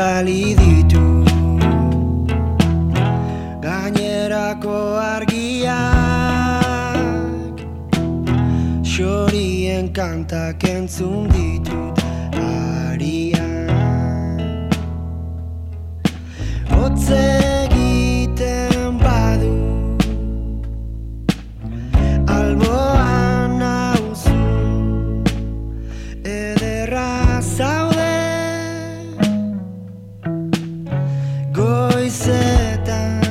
bidali ditu gainerako argiak, xorien kantak entzun ditut arian. Hotz egiten badu alboan nauzu, ederra zaude goizetan.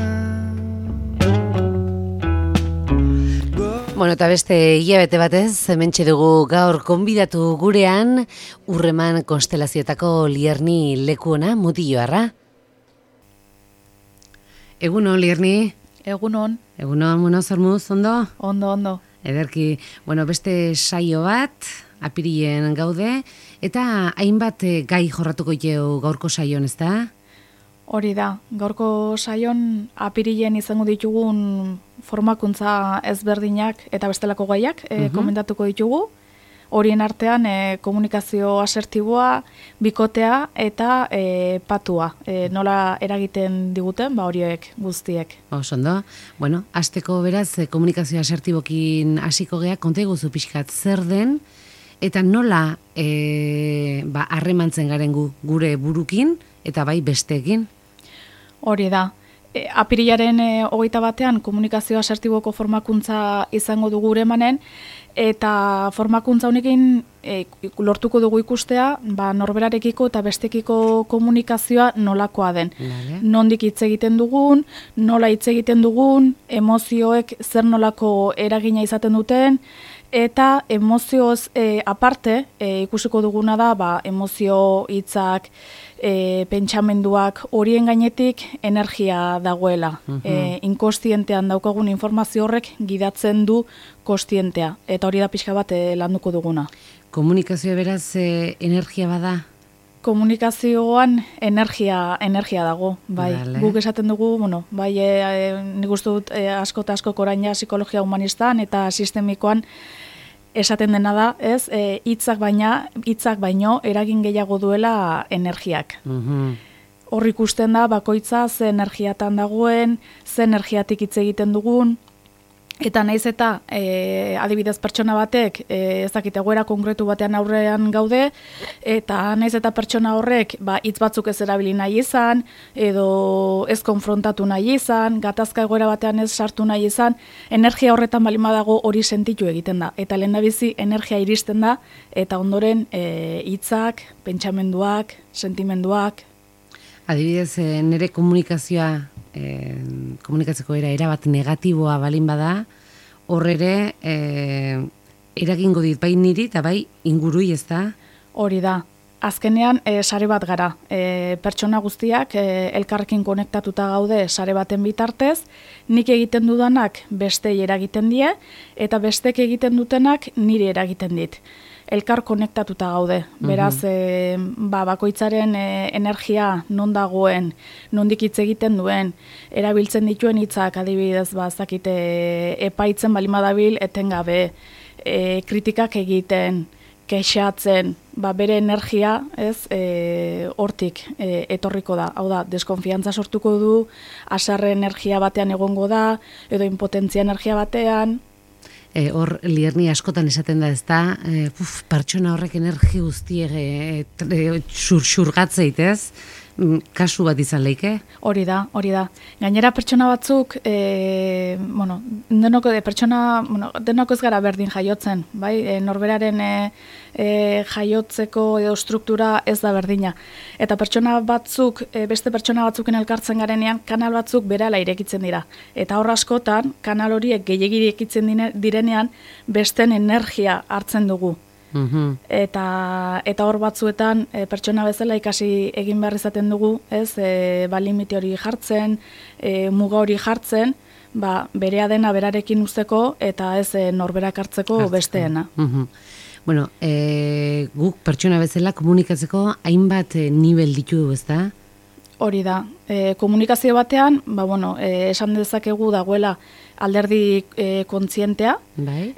Bueno, eta beste hilabete batez, hementxe dugu gaur konbidatu gurean Urreman konstelazioetako Lierni lekuona Mutilloarra. Egunon, Lierni? Egunon. Egunon, bueno, zer moduz, ondo? Ondo. Ederki, bueno, beste saio bat, apirilen gaude, eta hainbat gai jorratuko jau gaurko saion, ez da? Hori da, gaurko saion apirilen izango ditugun formakuntza ezberdinak eta bestelako gaiak komentatuko ditugu. Horien artean komunikazio asertiboa, bikotea eta patua. Nola eragiten diguten, horiek guztiek. Ondo. Bueno, hasteko beraz komunikazio asertibokin hasiko gea, konta iguzu pixkat zer den, eta nola harremantzen garen gure burukin, eta bai besteekin. Hori da. Apirilaren 21 komunikazio asertiboko formakuntza izango dugu Uremanen, eta formakuntza honekin lortuko dugu ikustea, norberarekiko eta bestekiko komunikazioa nolakoa den. Vale. Nondik hitz egiten dugun, nola hitz egiten dugun, emozioek zer nolako eragina izaten duten, eta emozioz aparte ikusiko duguna da emozio hitzak, pentsamenduak, horien gainetik energia dagoela. Inkostientean daukagun informazio horrek gidatzen du kostientea, eta hori da pixka bat landuko duguna. Komunikazioa beraz energia bada? Komunikazioan energia dago, bai. Vale. Guk esaten dugu, bai, nik uste dut asko eta asko oraina psikologia humanistan eta sistemikoan esaten dena da, ez, hitzak baino eragin gehiago duela energiak. Hor ikusten da bakoitza ze energiatan dagoen, ze energiatik hitz egiten dugun, eta naiz eta adibidez pertsona batek ezakite egoera konkretu batean aurrean gaude, eta naiz eta pertsona horrek hitz batzuk ez erabili nahi izan, edo ez konfrontatu nahi izan, gatazka egoera batean ez sartu nahi izan, energia horretan balima dago hori sentitu egiten da. Eta lehendabizi energia iristen da, eta ondoren hitzak, pentsamenduak, sentimenduak. Adibidez, nire komunikazioa, komunikatzeko erabat negatiboa balin bada, hor ere eragingo dit bai niri eta bai ingurui, ez da? Hori da. Azkenean sare bat gara. Pertsona guztiak elkarrekin konektatuta gaude sare baten bitartez, nik egiten dudanak bestei eragiten die, eta bestek egiten dutenak niri eragiten dit. Elkar konektatuta gaude. Beraz, bakoitzaren energia non dagoen, nondik hitz egiten duen, erabiltzen dituen hitzak adibidez, zakite epaitzen balima dabil etengabe, kritikak egiten, kexatzen, bere energia, ez, hortik etorriko da. Hau da, deskonfiantza sortuko du, haserre energia batean egongo da, edo impotentzia energia batean. Hor, Lierni askotan esaten da, ez da, pertsona horrek energi guztiek xurgatzeit, ez? Kasu bat izan leike? Hori da. Gainera pertsona batzuk, denok ez gara berdin jaiotzen, bai? Norberaren jaiotzeko edo struktura ez da berdina. Eta pertsona batzuk, beste pertsona batzuken elkartzen garenean, kanal batzuk berehala irekitzen dira. Eta hor askotan, kanal horiek gehiegi irekitzen direnean, besten energia hartzen dugu. Eta hor batzuetan pertsona bezala ikasi egin behar izaten dugu, ez, limite hori jartzen, muga hori jartzen, berea dena berarekin uzteko eta ez norberak hartzeko besteena. Bueno, guk pertsona bezala komunikatzeko hainbat nivel ditu, ez da? Hori da. Komunikazio batean, esan dezakegu dagoela alderdi kontzientea,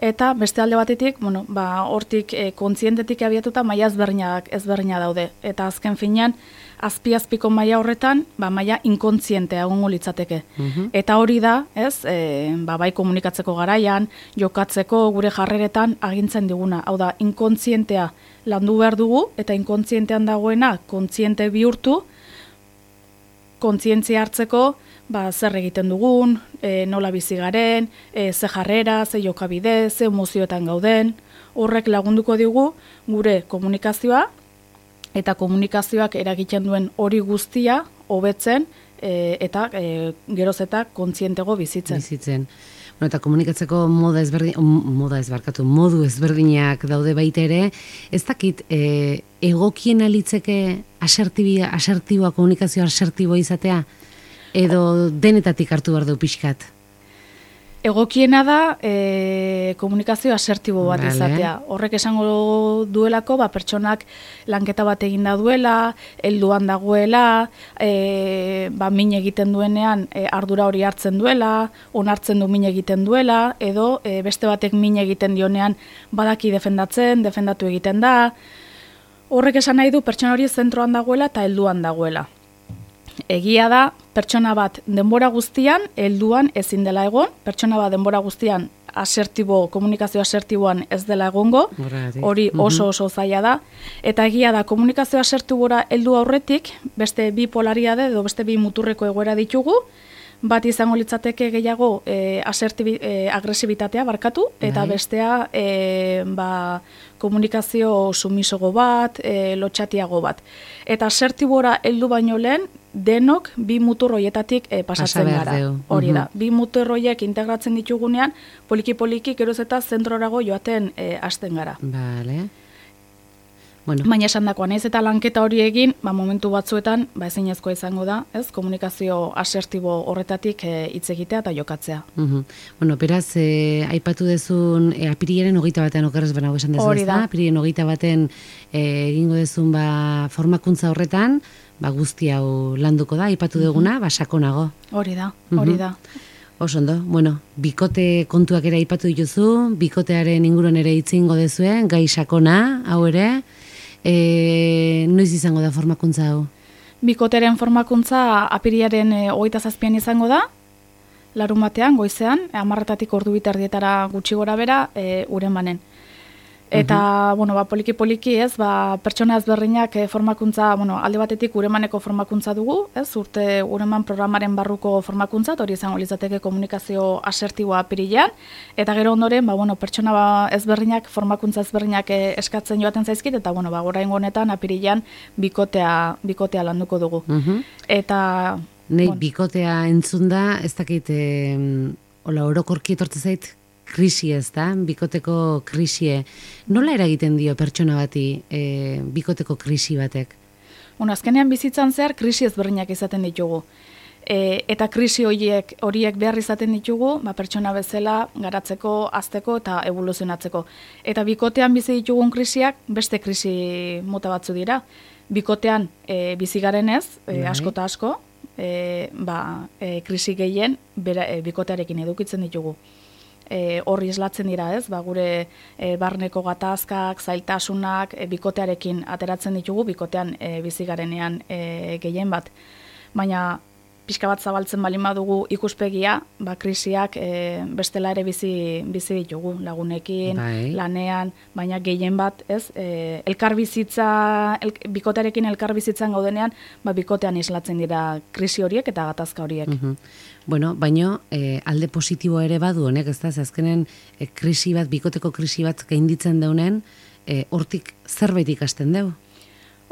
eta beste alde batetik, hortik kontzientetik abiatuta maila ezberdina daude. Eta azken finean, azpi-azpiko maila horretan, maila inkontzientea egongo litzateke. Eta hori da, ez, bai komunikatzeko garaian, jokatzeko, gure jarreretan agintzen diguna. Hau da, inkontzientea landu behar dugu, eta inkontzientean dagoena kontziente bihurtu, kontzientzia hartzeko, zer egiten dugun, nola bizi garen, ze jarrera, ze jokabide, ze emozioetan gauden, horrek lagunduko digu gure komunikazioa, eta komunikazioak eragiten duen hori guztia hobetzen eta geroz eta kontzientego bizitzen. Bueno, eta komunikatzeko modu ezberdinak daude baita ere, ez dakit egokien alitzeke asertiboa, komunikazio asertiboa izatea, edo denetatik hartu behar du pixkat? Egokiena da komunikazio asertibo bat izatea. Horrek esango duelako, pertsonak lanketa bat eginda duela, helduan dagoela, min egiten duenean ardura hori hartzen duela, onartzen du min egiten duela, edo beste batek min egiten dionean badaki defendatu egiten da. Horrek esan nahi du pertsona hori zentroan dagoela eta helduan dagoela. Egia da, pertsona bat denbora guztian, helduan ezin dela egon, pertsona bat denbora guztian komunikazio asertiboan ez dela egongo, hori oso zaila da, eta egia da, komunikazio asertibora heldu aurretik, beste bi polariade edo beste bi muturreko egoera ditugu, bat izango litzateke gehiago agresibitatea barkatu, eta bestea komunikazio sumisogo bat, lotxatiago bat. Eta asertibora heldu baino lehen, denok bi mutur horietatik pasatzen gara. Hori da, bi mutur horiek integratzen ditugunean, poliki-poliki geroz eta zentrorago joaten hasten gara. Bale. Bueno. Baina esan dakoan, ez eta lanketa hori egin, momentu batzuetan, ezinezkoa izango da, ez, komunikazio asertibo horretatik hitz egitea eta jokatzea. Bueno, beraz, aipatu dezun, apirilaren 21 okerrez banago esan dezu, ez da? Apirilaren 21 egingo dezun formakuntza horretan, guzti hau landuko da, aipatu duguna, sakonago. Hori da. Oso ondo, bueno, bikote kontuak ere aipatu dituzu, bikotearen inguruan ere itzingo dezuen, gai sakona, hau ere, noiz izango da formakuntza hau? Bikotearen formakuntza apirilaren 27an izango da, larunbatean, goizean, 10:00 ordu bitardietara gutxi gora bera, Uremanen. Eta, poliki-poliki, ez, pertsona ezberdinak formakuntza, alde batetik Uremaneko formakuntza dugu, ez, urte Ureman programaren barruko formakuntza, hori izango litzateke komunikazio asertiboa apirilean, eta gero ondoren, pertsona ezberdinak, formakuntza ezberdinak eskatzen joaten zaizkit, eta, oraingo honetan apirilean bikotea landuko dugu. Eta... Nei, bikotea entzun da, ez dakit, orokorki etortze zait, krisi ez da, bikoteko krisie. Nola eragiten dio pertsona bati bikoteko krisi batek? Azkenean bizitzan zehar krisi ezberdinak izaten ditugu. Eta krisi horiek behar izaten ditugu, pertsona bezala garatzeko, hazteko eta evoluzionatzeko. Eta bikotean bizi ditugun krisiak beste krisi mota batzu dira. Bikotean bizi garenez, asko eta asko, krisi gehien bikotearekin edukitzen ditugu. Horri islatzen dira, ez? Gure barneko gatazkak, zailtasunak, bikotearekin ateratzen ditugu, bikotean bizi garenean gehien bat. Baina pixka bat zabaltzen balin badugu ikuspegia, krisiak bestela ere bizi ditugu, lagunekin, lanean, baina gehien bat, ez? Bikotearekin elkarbizitzan gaudenean, bikotean islatzen dira krisi horiek eta gatazka horiek. Bueno, baino alde positiboa ere badu honek, ez da, azkenen krisi bat, bikoteko krisi bat gainditzen daunen, hortik zerbait ikasten deu.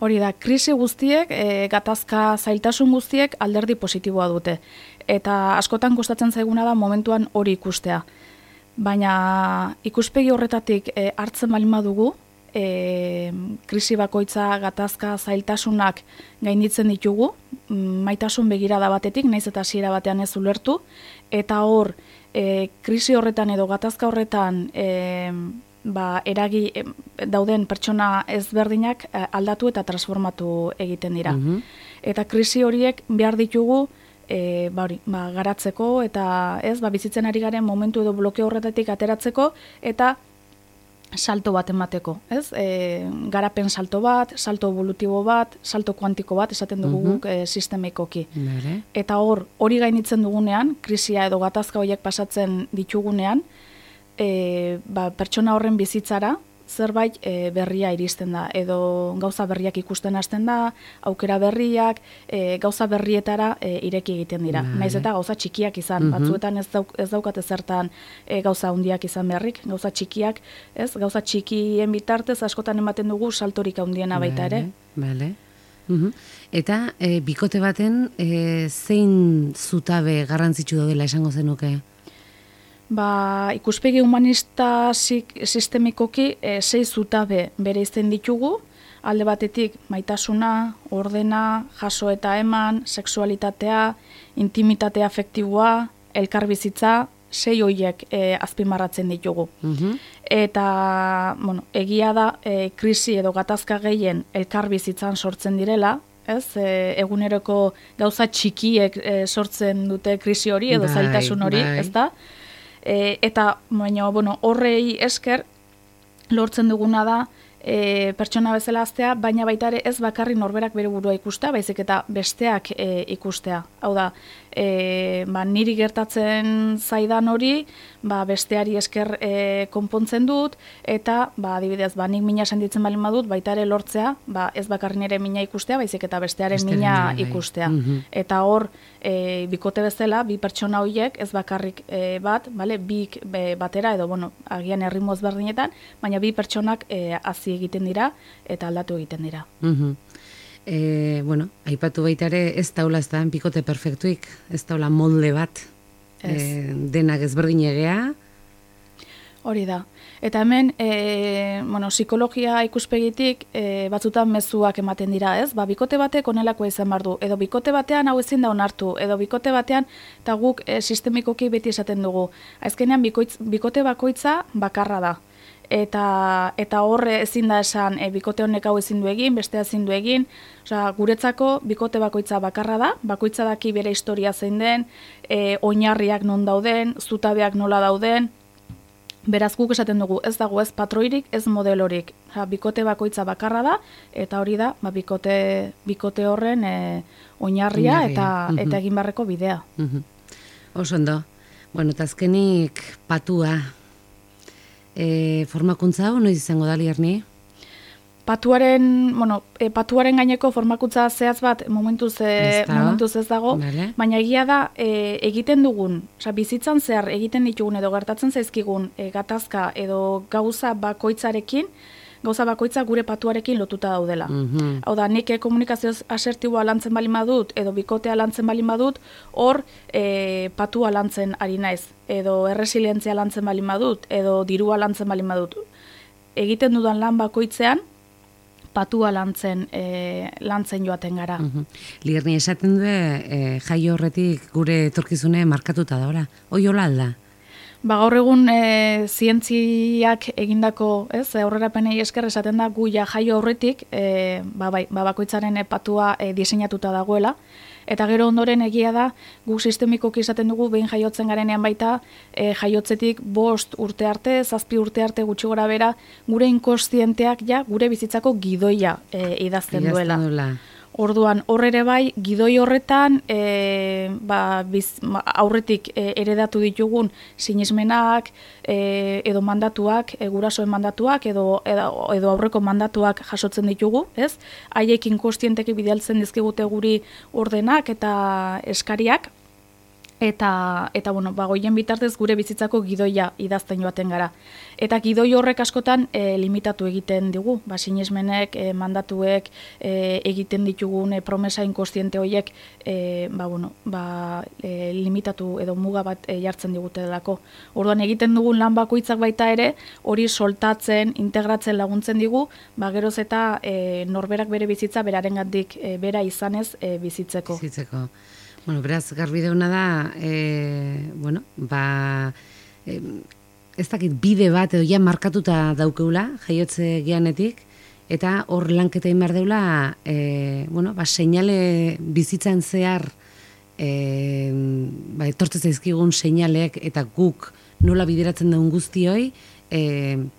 Hori da, krisi guztiek, gatazka zailtasun guztiek alderdi positiboa dute. Eta askotan kostatzen zaiguna da momentuan hori ikustea. Baina ikuspegi horretatik hartzen balin badugu, krisi bakoitza gatazka zailtasunak gainditzen ditugu, maitasun begirada batetik, naiz eta hasiera batean ez ulertu, eta hor, krisi horretan edo gatazka horretan dauden pertsona ezberdinak aldatu eta transformatu egiten dira. Eta krisi horiek behar ditugu garatzeko eta bizitzen ari garen momentu edo blokeo horretatik ateratzeko eta salto bat emateko, ez? Garapen salto bat, salto evolutibo bat, salto kuantiko bat, esaten dugu guk sistemikoki. Eta hori gainitzen dugunean, krisia edo gatazka horiek pasatzen ditugunean, pertsona horren bizitzara, zerbait berria iristen da, edo gauza berriak ikusten hasten da, aukera berriak, gauza berrietara ireki egiten dira. Naiz eta gauza txikiak izan, batzuetan ez daukate zertan gauza handiak izan beharrik, gauza txikiak, ez? Gauza txikien bitartez askotan ematen dugu saltorik handiena baita ere. Bale. Eta bikote baten zein zutabe garrantzitsu daudela esango zenuke? Ikuspegi humanista sistemikoki 6 zutabe bereizten ditugu, alde batetik maitasuna, ordena, jaso eta eman, sexualitatea, intimitatea afektiboa, elkarbizitza, 6 horiek azpimarratzen ditugu. Eta, egia da, krisi edo gatazka gehien elkarbizitzan sortzen direla, ez? Eguneroko gauza txikiek sortzen dute krisi hori edo zailtasun hori, ez da? Eta, horrei esker lortzen duguna da pertsona bezala aztea, baina baita ere ez bakarri norberak bere burua ikustea, baizik eta besteak ikustea. Hau da, niri gertatzen zaidan hori, besteari esker konpontzen dut, eta, adibidez, nik mina sentitzen balin badut, baita ere lortzea, ez bakarri nire mina ikustea, baizik eta bestearen mina ikustea. Eta hor, bikote bezala, bi pertsona horiek, ez bakarrik bat, bik batera, edo, agian erritmo ezberdinetan, baina bi pertsonak hazi egiten dira, eta aldatu egiten dira. Aipatu baita ere ez daula ez da bikote perfektuik, ez daula molde bat, denak ezberdin egea. Hori da. Eta hemen, psikologia ikuspegitik batzutan mezuak ematen dira, ez? Bikote batek onelakoa izan behar du, edo bikote batean hau ezin da onartu, edo bikote batean, eta guk sistemikoki beti esaten dugu. Azkenean bikote bakoitza bakarra da. Eta horre ezin da esan bikote honek hau ezin du egin, bestea ezin du egin. Guretzako bikote bakoitza bakarra da, bakoitza daki bere historia zein den, oinarriak non dauden, zutabeak nola dauden. Beraz guk esaten dugu, ez dago ez patroirik, ez modelorik. Bikote bakoitza bakarra da, eta hori da bikote horren oinarria eta egin beharreko bidea. Oso ondo. Eta azkenik patua. Formakuntza hau noiz izango da, Lierni? Patuaren gaineko formakuntza zehaz bat momentuz ez dago, baina egia da egiten dugun, bizitzan zehar egiten ditugun edo gertatzen zaizkigun gatazka edo gauza bakoitza gure patuarekin lotuta daudela. Hau da, nik komunikazio asertiboa lantzen balin badut, edo bikotea lantzen balin badut, hor patua lantzen ari naiz, edo erresilientzia lantzen balin badut, edo dirua lantzen balin badut. Egiten dudan lan bakoitzean, patua lantzen joaten gara. Lierni, esaten du jaio horretik gure etorkizune markatuta da, ora? Hoi hola alda? Gaur egun zientziak egindako, aurrerapenei esker esaten da gu jaio horretik, bakoitzaren patua diseinatuta dagoela, eta gero ondoren egia da, guk sistemikoki izaten dugu, behin jaiotzen garenean baita, jaiotzetik 5 urte arte, 7 urte arte gutxi gora bera, gure inkostienteak gure bizitzako gidoia idazten duela. Orduan, horre bai, gidoi horretan, aurretik eredatu ditugun sinesmenak, edo mandatuak, gurasoen mandatuak, edo aurreko mandatuak jasotzen ditugu, ez? Haiek inkostienteki bidaltzen dizkigute guri ordenak eta eskariak, eta goien bitartez gure bizitzako gidoia idazten joaten gara. Eta gidoi horrek askotan limitatu egiten digu, sinesmenek, mandatuek, egiten ditugun promesa inkostiente horiek limitatu edo muga bat jartzen digute delako. Orduan egiten dugun lan bakoitzak baita ere, hori soltatzen, integratzen laguntzen digu, geroz eta norberak bere bizitza berarengandik bera izanez bizitzeko. Beraz, garbi deuna da, ez dakit bide bat edo ja markatuta daukeula, jaiotze geanetik, eta hor lanketa behar deula, seinale bizitzan zehar, etortzen zaizkigun seinalek eta guk nola bideratzen dugun guztioi,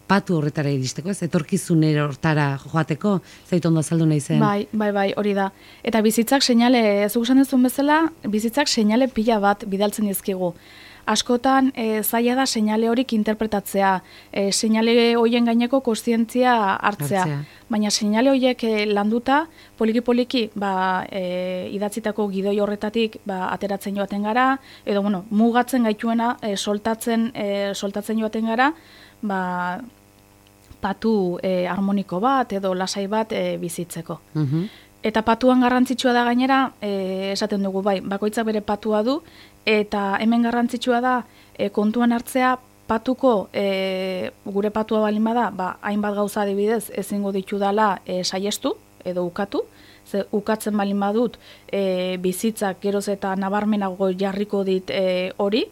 patu horretara iristeko, ez? Etorkizunero hortara joateko, zait ondo azaldu nahi zen. Bai, hori da. Eta bizitzak seinale, zuk esan duzun bezala, bizitzak seinale pila bat bidaltzen dizkigu. Askotan zaila da seinale horik interpretatzea, seinale hoien gaineko kontzientzia hartzea. Baina seinale horiek landuta, poliki-poliki idatzitako gidoi horretatik ateratzen joaten gara, edo mugatzen gaituena soltatzen joaten gara, patu harmoniko bat edo lasai bat bizitzeko. Eta patuan garrantzitsua da gainera, esaten dugu bakoitzak bere patua du, eta hemen garrantzitsua da kontuan hartzea patuko, gure patua balin bada, hainbat gauza adibidez ezingo ditudala saiestu edo ukatu, ze ukatzen balin badut bizitzak geroz eta nabarmenago jarriko dit hori,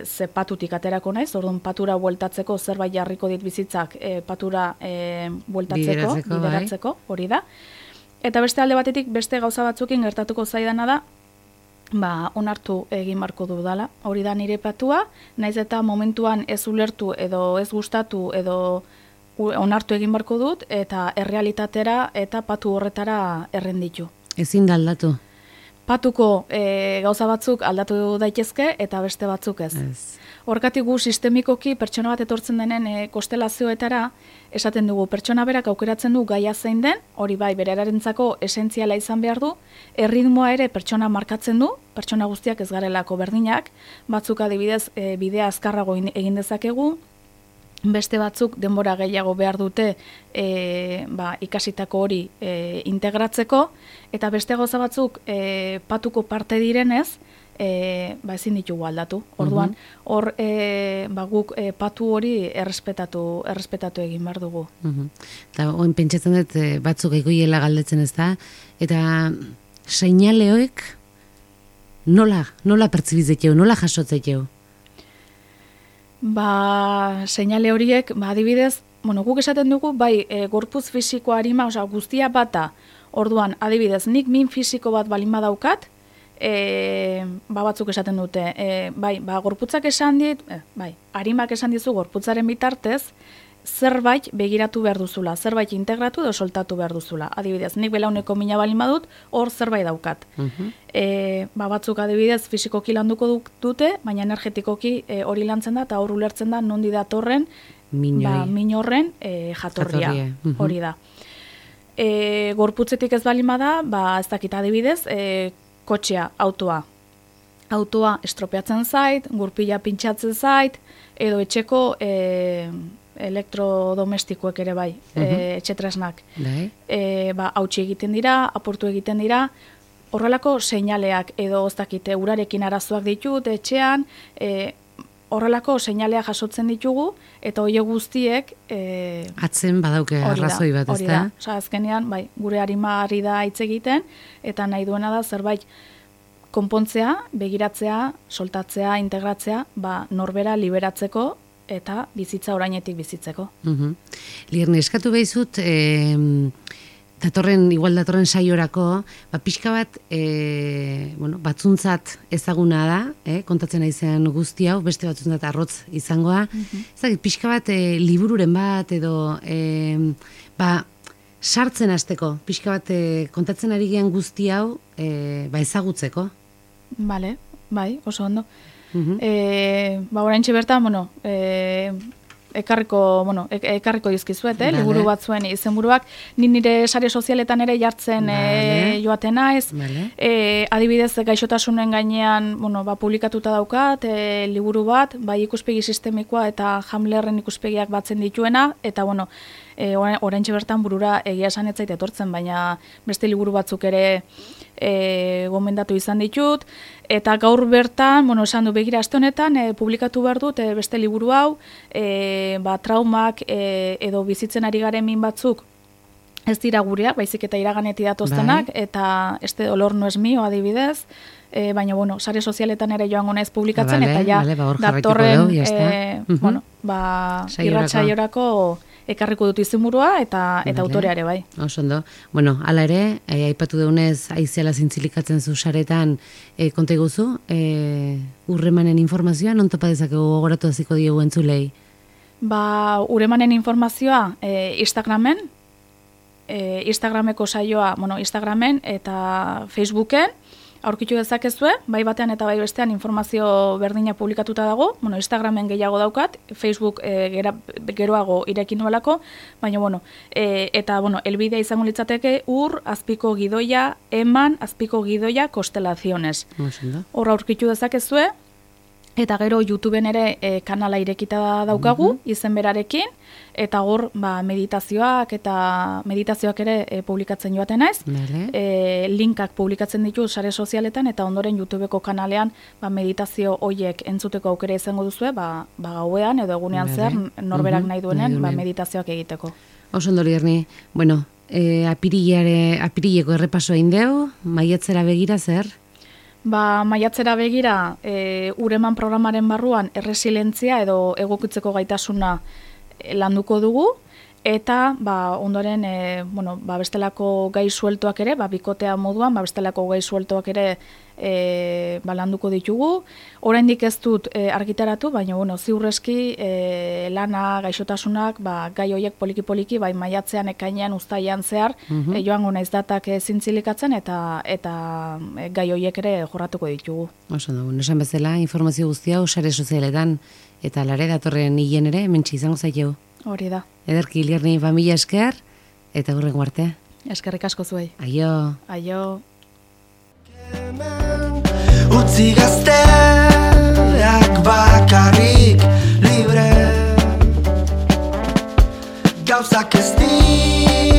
ze patutik aterako naiz, orduan patura bueltatzeko zerbait jarriko dit bizitzak patura bueltatzeko, bideratzeko, hori da. Eta beste alde batetik beste gauza batzukin gertatuko zaidana da, onartu egin barko dudala. Hori da nire patua, naiz eta momentuan ez ulertu edo ez gustatu edo onartu egin barko dut, eta errealitatera eta patu horretara errenditu. Ezin da aldatu? Patuko gauza batzuk aldatu daitezke eta beste batzuk ez. Horkatik gu sistemikoki pertsona bat etortzen denen konstelazioetara esaten dugu pertsona berak aukeratzen du gaia zein den, hori berarentzako esentziala izan behar du, erritmoa ere pertsona markatzen du, pertsona guztiak ez garelako berdinak, batzuk adibidez bidea azkarrago egin dezakegu, beste batzuk denbora gehiago behar dute ikasitako hori integratzeko, eta beste gauza batzuk patuko parte direnez, ezin ditugu aldatu. Orduan, hor guk patu hori errespetatu egin behar dugu. Eta oin pentsatzen dut batzuk egoiela galdetzen ez da, eta seinaleoek nola pertsibizeteu, nola jasotzeteu? Seinale horiek, adibidez, guk esaten dugu, gorputz fisiko arima, guztia bata, orduan, adibidez, nik min fisiko bat balin badaukat, batzuk esaten dute, gorputzak esan dit, arimak esan dizu gorputzaren bitartez, zerbait begiratu behar duzula, zerbait integratu edo soltatu behar duzula. Adibidez, nik belauneko mina balin badut, hor zerbait daukat. Batzuk adibidez fisikoki landuko dute, baina energetikoki hori lantzen da, eta hor ulertzen da nondi datorren min horren jatorria. Hori da. Gorputzetik ez balin bada, ez dakit adibidez, kotxea, autoa estropeatzen zait, gurpila pintxatzen zait, edo etxeko elektrodomestikoek ere etxetresnak. Hautsi egiten dira, apurtu egiten dira, horrelako seinaleak edo ez dakite urarekin arazoak ditut etxean, horrelako seinaleak jasotzen ditugu, eta horiek guztiek atzen badauke arrazoi bat, ez da? Azkenean, gure arima ari da hitz egiten, eta nahi duena da zerbait konpontzea, begiratzea, soltatzea, integratzea, norbera liberatzeko eta bizitza orainetik bizitzeko. Lierne, eskatu behizut, datorren saiorako, pixka bat, batzuntzat ezaguna da, kontatzen aizean guzti hau, beste batzuntzat arrotz izangoa. Ezagit, pixka bat, libururen bat, edo, sartzen hasteko, pixka bat, kontatzen ari gean guzti hau, ezagutzeko. Bale, oso ondo. Oraintxe bertan, ekarriko dizkizuet, liburu batzuen izenburuak, nire sare sozialetan ere jartzen joaten naiz, adibidez gaixotasunen gainean publikatuta daukat, liburu bat, ikuspegi sistemikoa eta Hamlerren ikuspegiak batzen dituena, eta oraintxe bertan burura egia esan ez zait etortzen, baina beste liburu batzuk ere gomendatu izan ditut, eta gaur bertan, esan du begira aste honetan, publikatu behar dut beste liburu hau, traumak edo bizitzen ari garen min batzuk ez dira gureak, baizik eta iraganetik datoztenak, eta este dolor no es mío adibidez, baina, sare sozialetan ere joango naiz publikatzen, eta ja, datorren irratsaiorako ekarriko dut izenburua eta autoreare bai. Oso ondo. Hala ere, aipatu deunez, aiziala zintzilikatzen zu saretan konta iguzu, urremanen informazioa, non topa dezakegu gogoratu hasiko diegu entzulei? Uremanen informazioa Instagramen, Instagrameko saioa, Instagramen eta Facebooken, aurkitu dezakezue, bai batean eta bai bestean informazio berdina publikatuta dago, Instagramen gehiago daukat, Facebook geroago irekin nuelako, baina, eta, elbidea izango litzateke azpiko gidoia, azpiko gidoia, konstelaziones. Horra aurkitu dezakezue, eta gero YouTubeen ere kanala irekita daukagu, izen berarekin, eta hor meditazioak ere publikatzen joaten naiz. Linkak publikatzen ditu sare sozialetan, eta ondoren YouTubeko kanalean meditazio hoiek entzuteko aukera izango duzue, gauean edo egunean zer norberak nahi duenen meditazioak egiteko. Oso ondo Lierni, apirileko errepasoa indeu, maiatzera begira zer? Maiatzera begira, Ureman programaren barruan erresilientzia edo egokitzeko gaitasuna landuko dugu, eta ondoren bestelako gai sueltoak ere, bikotea moduan, bestelako gai sueltoak ere landuko ditugu. Oraindik ez dut argitaratu, baina ziurreski lana, gaixotasunak, gai horiek poliki-poliki, maiatzean, ekainean, uztailean zehar, joango naiz datak zintzilikatzen, eta gai horiek ere jorratuko ditugu. Oso da, esan bezala, informazio guztia sare sozialetan, eta lare datorren hilen ere, hementsi izango zaiteu. Hori da. Ederki, Lierni, familia esker, eta hurrengo arte. Eskerrik asko zuei. Aio. Aio. Utzi gazteak bakarrik libre, gauzak ez dira